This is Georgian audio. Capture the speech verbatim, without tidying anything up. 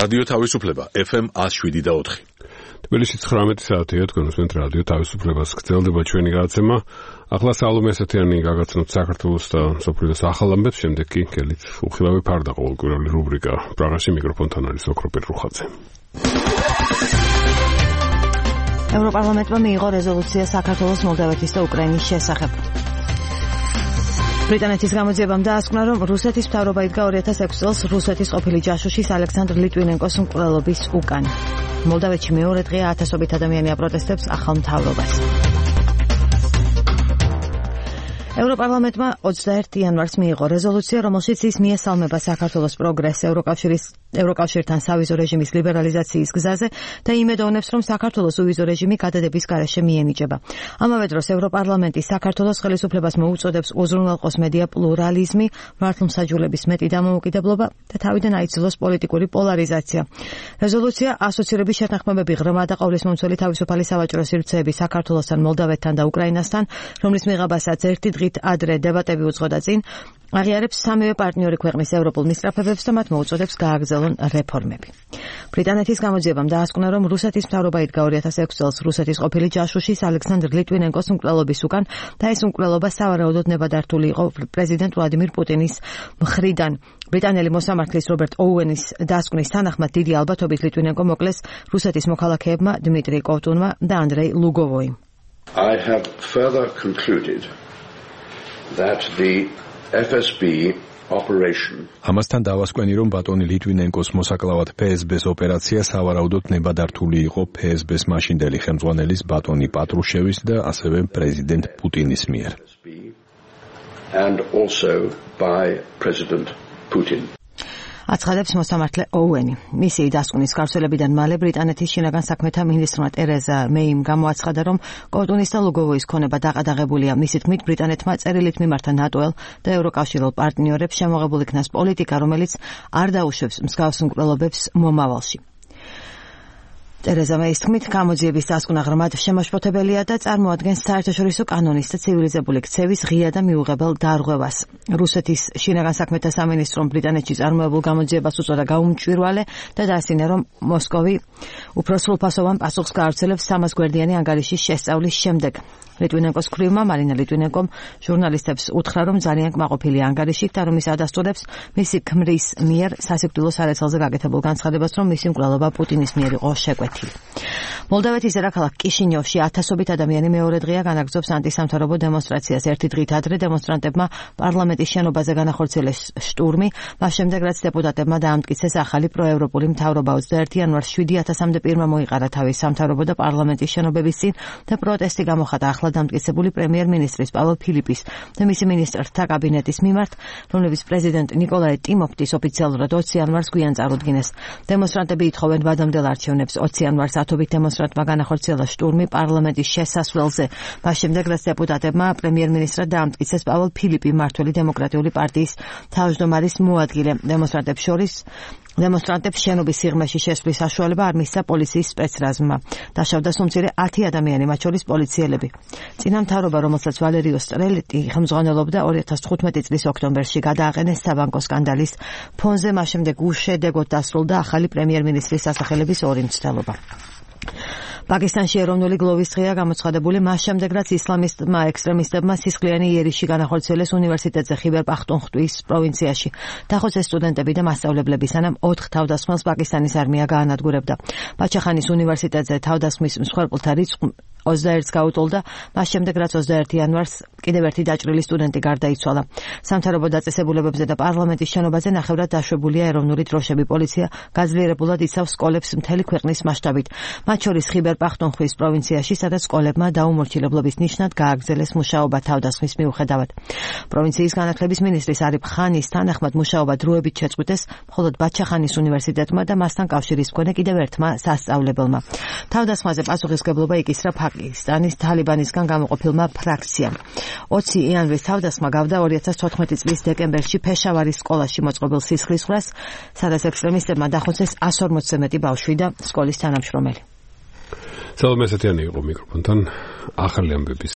რადიო თავისუფლება ეფ ემ ათს შვიდი და ოთხი. თბილისში ცხრამეტი საათია, თქვენ უსმენთ რადიო თავისუფლებას. გრძელდება ჩვენი გადაცემა. ახლა სალომე ესეთიანი გაგაცნოთ საქართველოს და მსოფლიოს ახალ ამბებს, შემდეგ კი გელით უხილავი ფარდა ყოველკვირეული რუბრიკა. პრაღაში მიკროფონთან არის ოქროპირ რუხაძე. ევროპარლამენტმა მიიღო რეზოლუცია საქართველოს, მოლდავეთის და უკრაინის შესახებ. ბრიტანეთის გამოძიებამ დაასკვნა, რომ რუსეთის მთავრობა იდგა ორი ათას ექვსი წელს რუსეთის ყოფილი ჯაშუშის ალექსანდრ ლიტვინენკოს მკვლელობის უკან. მოლდავეთში მეორე დღეა ათასობით ადამიანი აპროტესტებს ახალ მთავრობას. ევროპარლამენტმა ოცდაერთი იანვარს მიიღო რეზოლუცია, რომელშიც ის მიესალმება საქართველოს პროგრესს ევროკავშირის ევროკავშირთან სავიზო რეჟიმის ლიბერალიზაციის გზაზე და იმედოვნებს, რომ საქართველოს უვიზო რეჟიმი გადადების გარეშე მიენიჭება. ამავე დროს ევროპარლამენტი საქართველოს ხელისუფლებას მოუწოდებს უზრუნველყოს მედია პლურალიზმი, მართლმსაჯულების მეტი დამოუკიდებლობა და თავიდან აიძულოს პოლიტიკური პოლარიზაცია. რეზოლუცია ასოცირების შეთანხმებები ღრმა და ყოვლისმომცველი თავისუფალი სავაჭრო სივრცეები საქართველოსთან, მოლდავეთთან და უკრაინასთან, რომლის მიღებასაც ერთი დღით ადრე დებატები უძღოდა წინ, აღიარებს სამივე პარტნიორი ქვეყნის ევროპულ მისწრაფებებს და მათ მოუწოდებს გააგრძელონ რეფორმები. ბრიტანეთის გამოძიებამ დაასკვნა, რომ რუსეთის მთავრობა იდგა ორი ათას ექვსი წელს რუსეთის ყოფილი ჯაშუშის ალექსანდრ ლიტვინენკოს მკვლელობის უკან და ეს მკვლელობა სავარაუდოდ ნებადართული იყო პრეზიდენტ ვლადიმირ პუტინის მხრიდან. ბრიტანელი მოსამართლის რობერტ ოუენის დასკვნის თანახმად დიდი ალბათობით ლიტვინენკო მოკლეს რუსეთის მოქალაქეებმა დმიტრი კოვტუნმა და ანდრეი ლუგოვოიმ. I have further concluded that the ეფ ეს ბი operation ამასთან დავასკვენი, რომ ბატონი ლიტვინენკოს მოსაკლავად ფე ეს ბეს ოპერაცია სავარაუდოდ ნებადართული იყო ფე ეს ბეს მაშინდელი ხელმძღვანელის ბატონი პატრუშევის და ასევე პრეზიდენტ პუტინის მიერ. and also by President Putin. აცხადებს მოსამართლე ოუენი. მისი დასკვნის გავრცელებიდან მალე ბრიტანეთის შინაგან საქმეთა მინისტრმა ტერეზა მეიმ გამოაცხადა, რომ კოვტუნის და ლუგოვოის ქონება დაყადაღებულია. მისი თქმით, ბრიტანეთმა წერილით მიმართა ნატოელ და ევროკავშირულ პარტნიორებს შემოღებულ იქნას პოლიტიკა, რომელიც არ დაუშვებს მსგავს მკვლელობებს მომავალში. ტერეზა მეის თქმით, გამოძიების დასკვნა ღრმად შემაშფოთებელია და წარმოადგენს საერთაშორისო კანონის და ცივილიზებული ქცევის ღია და მიუღებელ დარღვევას. რუსეთის შინაგან საქმეთა სამინისტრომ ბრიტანეთში წარმოებულ გამოძიებას უწოდა გაუმჭვირვალე და დაასწინა, რომ მოსკოვი უფრო სრულფასოვან პასუხს გაავრცელებს სამას გვერდიანი ანგარიშის შესწავლის შემდეგ. ლიტვინენკოს ქვრივმა მარინა ლიტვინენკომ ჟურნალისტებს უთხრა, რომ ძალიან კმაყოფილია ანგარიშით და რომ ის ადასტურებს მისი ქმრის მიერ სასიკვდილო სარეცელზე გაკეთებულ განცხადებას, რომ მისი მკვლელობა პუტინის მიერ იყო შეკვეთილი. მოლდავეთის დედაქალაქ კიშინიოვში ათასობით ადამიანი მეორე დღეა განაგრძობს ანტისამთავრობო დემონსტრაციას. ერთი დღით ადრე დემონსტრანტებმა პარლამენტის შენობაზე განახორციელეს შტურმი, მას შემდეგ რაც დეპუტატებმა დაამტკიცეს ახალი პროევროპული მთავრობა. ოცდაერთი იანვარს შვიდი ათასამდე პირმა მოიყარა თავის სამთავრობო და პარლამენტის შენობების წინ და პროტესტი გამოხატა ახლა დამტკიცებული პრემიერ-მინისტრის პავლო ფილიპის და მისი მინისტრთა კაბინეტის მიმართ, რომლებიც პრეზიდენტ ნიკოლაი ტიმოფტის ოფიციალურად ოცი იანვარს გვიან წარუდგინეს. დემონსტრანტები ითხოვენ ვადამდელ არჩევნებს. ოცი იანვარს ათობით დემონსტრანტმა განახორციელა შტურმი პარლამენტის შესასვლელზე. მას შემდეგ რაც დეპუტატებმა პრემიერ-მინისტრად დაამტკიცეს პავლო ფილიპი, მმართველი დემოკრატიული პარტიის თავმჯდომარის მოადგილე. დემონსტრანტებს შორის დემონსტრანტებს შენობის სიღრმეში შესვლის საშუალება არ მისცა პოლიციის სპეცრაზმმა. დაშავდა სულ მცირე ათი ადამიანი, მათ შორის პოლიციელები. წინამთავრობა, რომელსაც ვალერიო სტრელეტი ხელმძღვანელობდა, ორი ათას თხუთმეტი წლის ოქტომბერში გადააყენეს საბანკო სკანდალის ფონზე, მას შემდეგ უშედეგოდ დასრულდა ახალი პრემიერ-მინისტრის სასახელების ორი მცდელობა. პაკისტანში ეროვნული გლოვის დღეა გამოცხადებული, მას შემდეგ რაც ისლამისტმა ექსტრემისტებმა სისხლიანი იერიში განახორციელეს უნივერსიტეტზე ხიბერ პახტუნხტვის პროვინციაში. დახოცეს სტუდენტები და მასწავლებლები, სანამ ოთხ თავდასხმელს პაკისტანის არმია გაანადგურებდა. ბაჩახანის უნივერსიტეტზე თავდასხმის მსხვერპლთა რიცხვი ოცდაერთს გაუტოლდა, მას შემდეგ რაც ოცდაერთი იანვარს კიდევ ერთი დაჭრილი სტუდენტი გარდაიცვალა. სამთავრობო დაწესებულებებზე და პარლამენტის შენობაზე ნახევრად დაშვებულია ეროვნული დროშები. პოლიცია გაძლიერებულად იცავს სკოლებს მთელი ქვეყნის მასშტაბით, მათ შორის ხიბერ პახტუნხვის პროვინციაში, სადაც სკოლებმა დაუმორჩილებლობის ნიშნად გააგრძელეს მუშაობა თავდასხმის მიუხედავად. პროვინციის განათლების მინისტრის არიფ ხანის თანახმად მუშაობა დროებით შეწყვიტეს მხოლოდ ბაჩახანის უნივერსიტეტმა და მასთან კავშირის მქონე კიდევ ერთმა სასწავლებელმა. თავდასხმაზე პასუხისმგებლობა იკისრა პაკისტანის თალიბანისგან გამოყოფილმა ფრაქციამ. ოცი იანვრის თავდასხმა გავდა ორი ათას თოთხმეტი წლის დეკემბერში ფეშავარის სკოლაში მოწყობილ სისხლისღვრას, სადაც ექსტრემისტებმა დახოცეს ას ორმოცზე მეტი ბავშვი და სკოლის თანამშრომელი. სალომე ესეთიანი იყო მიკროფონთან ახალი ამბების